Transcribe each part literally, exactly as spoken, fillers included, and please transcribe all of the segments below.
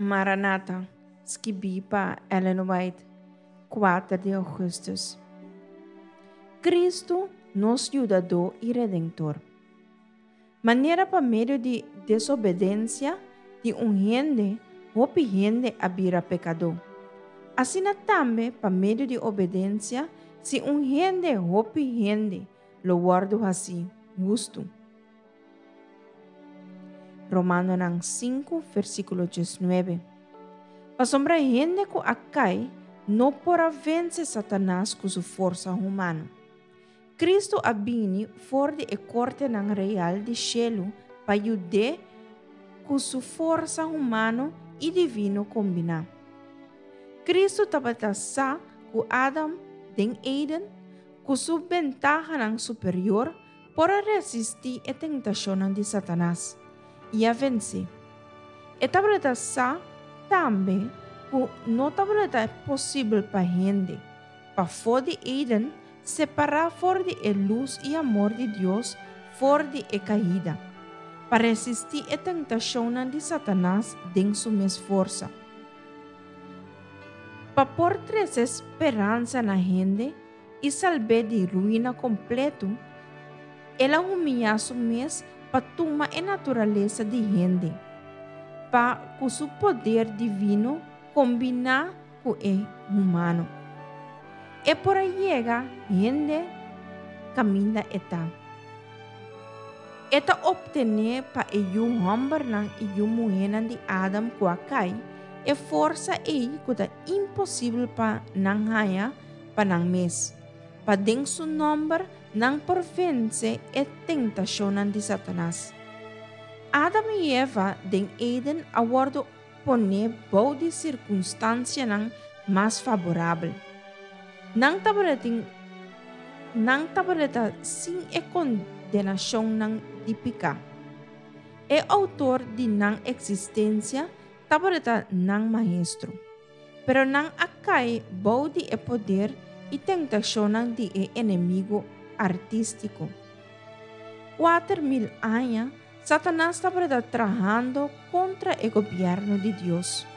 Maranata, skibí pa Ellen White, kuater di ougùstùs. Kristu, nos Yudadó i Redentor. Manera pa medio di desobedensia di un hende, hopi hende a bira pekadó. Asina tambe pa medio di obedensia si un hende, hopi hende lo wòrdu hasí hustu. Romanonan sinku, versíkulo diesnuebe. Pasobra hende ku a kai no por a vense Satanas ku su forsa humano. Kristu a bini for di e kortenan real di shelu pa yud'é ku su forsa humano i divino kombiná. Kristu tabata sa ku Adam den Eden, ku su bentahanan superior, por a resistí e tentashonnan di Satanas i a vens'é. E tabata sa tambe ku no tabata posibel pa hende, pafó di Eden, separá for di e lus i amor di Dios for di e kaida, pa resistí e tentashonnan di Satanas den su mes forsa. Pa por trese speransa na hende i salb'é di ruina kompletu, el a humiliá su mes pa tuma e naturalesa di hende, pa ku su poder divino kombiná ku e humano, e por a yega hende kaminda e ta. E ta optené pa e yu hòmbernan i yu muhénan di Adam ku a kai, e forsa ei ku ta imposibel pa nan haña pa nan mes, pa den su nòmber nan por vense e tentashonnan di Satanas. Adam i Eva den Eden a wòrdu poné bou di sirkunstansianan mas faborabel. Nan tabatin nan tabata sin e kondenashonnan di piká. E outor di nan eksistensia tabata nan maestro. Pero nan a kai bou di e poder i tentashonnan di e enemigu artístiko. Kuater mil aña Satanas tabata trahando kontra e gobièrnu di Dios.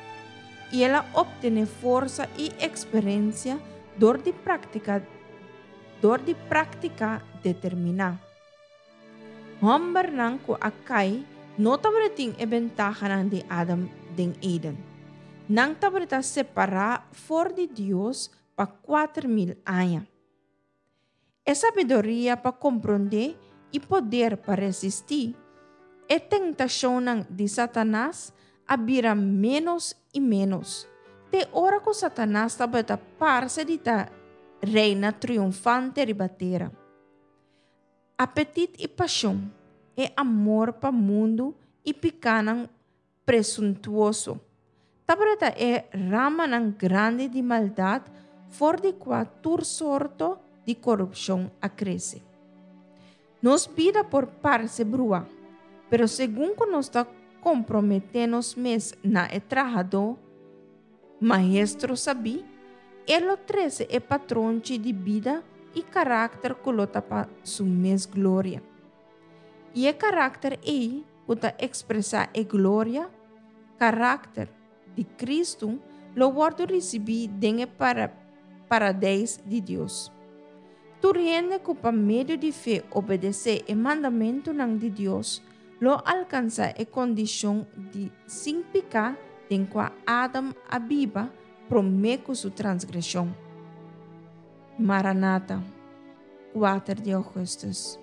I el a optené forsa i eksperensia dor di práktika dor di práktika determiná. Hòmbernan ku a kai no tabatin e bentahanan di Adam den Eden. Nan tabata separá for di Dios pa kuater mil aña. E sabiduria pa komprondé i poder pa resistí e tentashonnan di Satanas a bira ménos i ménos, te ora ku Satanas tabata parse di ta reina triunfante riba tera. Apetit i pashon, e amor pa mundu i pikánan presuntuoso, tabata e ramanan grandi di maldat for di kua tur sorto di korupshon a krese. Nos bida por parse brua, pero segun ku nos ta komprometé nos mes na e trahadó maestro sabí, e lo trese e patronchi di bida i karakter ku lo ta pa su mes gloria. I e karakter ei ku ta ekspresá e gloria, karakter, di Kristu lo wòrdu risibí den e paradeis di Dios. Tur hende ku pa medio di fe obedesé e mandamentunan di Dios lo alkansá e kondishon di sin piká den kua Adam a biba promé ku su transgreshon. Maranata, kuater di ougùstùs.